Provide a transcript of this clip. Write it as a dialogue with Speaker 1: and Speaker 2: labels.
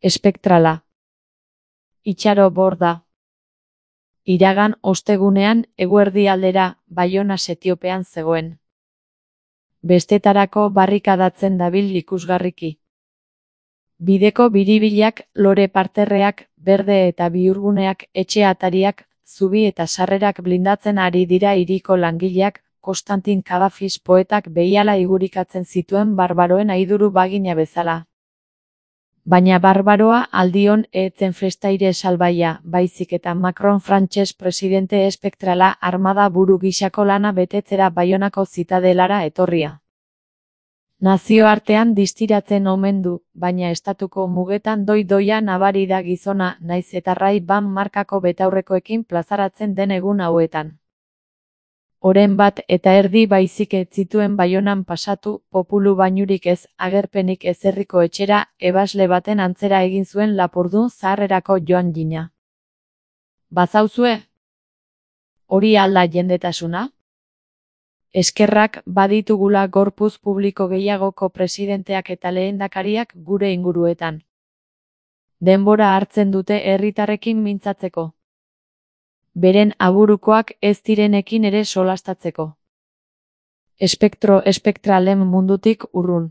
Speaker 1: Espektrala. Itxaro Borda. Iragan ostegunean eguerdi aldera Baiona setiopean zegoen. Bestetarako barrikadatzen dabil ikusgarriki. Bideko biribilak, lore parterreak, berde eta bihurguneak, etxe atariak, zubi eta sarrerak blindatzen ari dira hiriko langileak, Konstantin Kavafis poetak behiala igurikatzen zituen barbaroen aiduru bagina bezala. Baina barbaroa aldion etzen festaire salbaia, baizik eta Macron frantses presidente espektrala armada buru gisako lana betetzera Baionako zitadelara etorria. Nazioartean distiratzen omen du, baina estatuko mugetan doi-doia nabari da gizona, naiz eta Ray-Ban markako betaurrekoekin plazaratzen den egun hauetan. Oren bat eta erdi baizik ez zituen Baionan pasatu, populu bainurik ez, agerpenik ez herriko etxera, ebasle baten antzera egin zuen Lapurdun zaharrerako joan gina. Bazauzue? Hori alda jendetasuna? Eskerrak baditugula gorpuz publiko gehiagoko presidenteak eta lehendakariak gure inguruetan. Denbora hartzen dute herritarrekin mintzatzeko. Beren aburukoak ez direnekin ere solastatzeko. Espektralen mundutik urrun.